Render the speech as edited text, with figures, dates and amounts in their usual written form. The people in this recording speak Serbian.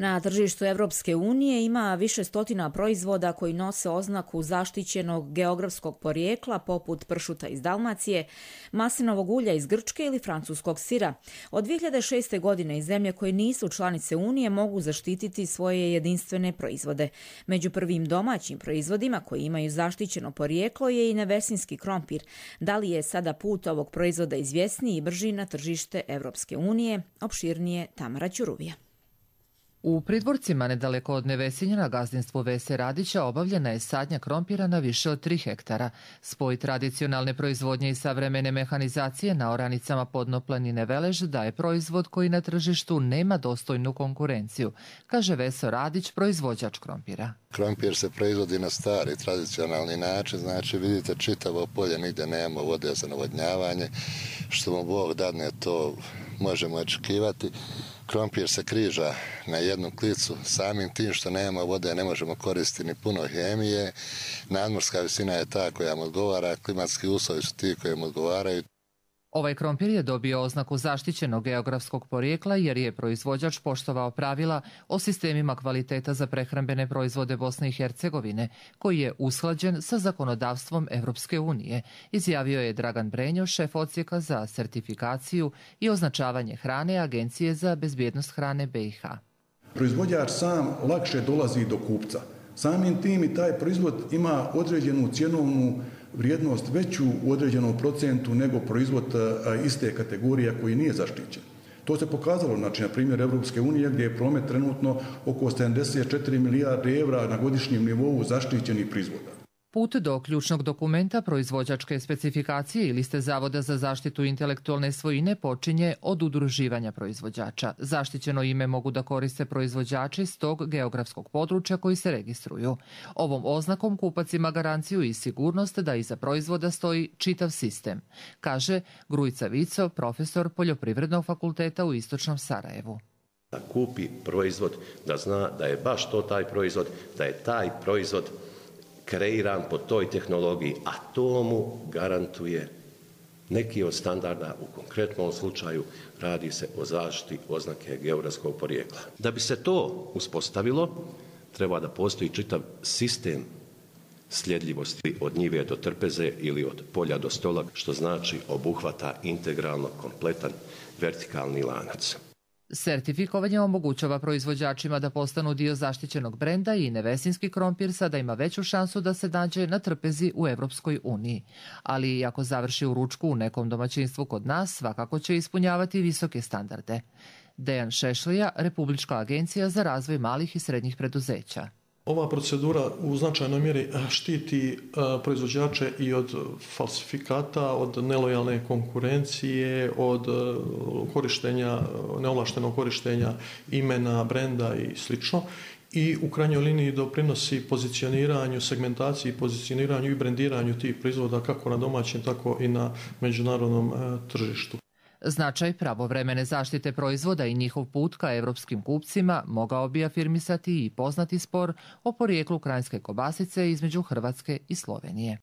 Na tržištu Evropske unije ima više stotina proizvoda koji nose oznaku zaštićenog geografskog porijekla poput pršuta iz Dalmacije, maslinovog ulja iz Grčke ili francuskog sira. Od 2006. godine i zemlje koje nisu članice Unije mogu zaštititi svoje jedinstvene proizvode. Među prvim domaćim proizvodima koji imaju zaštićeno porijeklo je i nevesinski krompir. Da li je sada put ovog proizvoda izvjesniji i brži na tržište Evropske unije? Opširnije Tamara Ćuruvija. U Pridvorcima, nedaleko od Nevesinja na gazdinstvu Vese Radića, obavljena je sadnja krompira na više od 3 hektara. Spoj tradicionalne proizvodnje i savremene mehanizacije na oranicama podnoplanine Velež daje proizvod koji na tržištu nema dostojnu konkurenciju, kaže Veso Radić, proizvođač krompira. Krompir se proizvodi na stari, tradicionalni način, znači vidite čitavo polje, nigde nema vode za navodnjavanje, što mu Bog dadne to možemo očekivati. Krompir se križa na jednu klicu, samim tim što nema vode ne možemo koristiti ni puno hemije. Nadmorska visina je ta koja mu odgovara, klimatski uslovi su ti koji mu odgovaraju. Ovaj krompir je dobio oznaku zaštićenog geografskog porijekla jer je proizvođač poštovao pravila o sistemima kvaliteta za prehrambene proizvode Bosne i Hercegovine, koji je usklađen sa zakonodavstvom Evropske unije, izjavio je Dragan Brenjo, šef odsjeka za sertifikaciju i označavanje hrane Agencije za bezbjednost hrane BiH. Proizvođač sam lakše dolazi do kupca. Samim tim i taj proizvod ima određenu cjenovnu vrijednost veću u određenom procentu nego proizvod iste kategorije koji nije zaštićen. To se pokazalo, znači, na primjer Evropske unije gdje je promet trenutno oko 74 milijarde evra na godišnjem nivou zaštićenih proizvoda. Put do ključnog dokumenta proizvođačke specifikacije i liste Zavoda za zaštitu intelektualne svojine počinje od udruživanja proizvođača. Zaštićeno ime mogu da koriste proizvođači s tog geografskog područja koji se registruju. Ovom oznakom kupac ima garanciju i sigurnost da iza proizvoda stoji čitav sistem, kaže Grujica Vico, profesor Poljoprivrednog fakulteta u Istočnom Sarajevu. Da kupi proizvod, da zna da je baš to taj proizvod, da je taj proizvod kreiran po toj tehnologiji, a to mu garantuje neki od standarda, u konkretnom slučaju radi se o zaštiti oznake geografskog porijekla. Da bi se to uspostavilo, treba da postoji čitav sistem sljedljivosti od njive do trpeze ili od polja do stola, što znači obuhvata integralno kompletan vertikalni lanac. Sertifikovanje omogućava proizvođačima da postanu dio zaštićenog brenda i nevesinski krompir sada ima veću šansu da se nađe na trpezi u Evropskoj uniji. Ali i ako završi u ručku u nekom domaćinstvu kod nas, svakako će ispunjavati visoke standarde. Dejan Šešlija, Republička agencija za razvoj malih i srednjih preduzeća. Ova procedura u značajnoj mjeri štiti proizvođače i od falsifikata, od nelojalne konkurencije, od korištenja, neovlaštenog korištenja imena, brenda i sl. I u krajnjoj liniji doprinosi pozicioniranju, segmentaciji, pozicioniranju i brendiranju tih proizvoda kako na domaćem, tako i na međunarodnom tržištu. Značaj pravovremene zaštite proizvoda i njihov put ka evropskim kupcima mogao bi afirmisati i poznati spor o porijeklu krajinske kobasice između Hrvatske i Slovenije.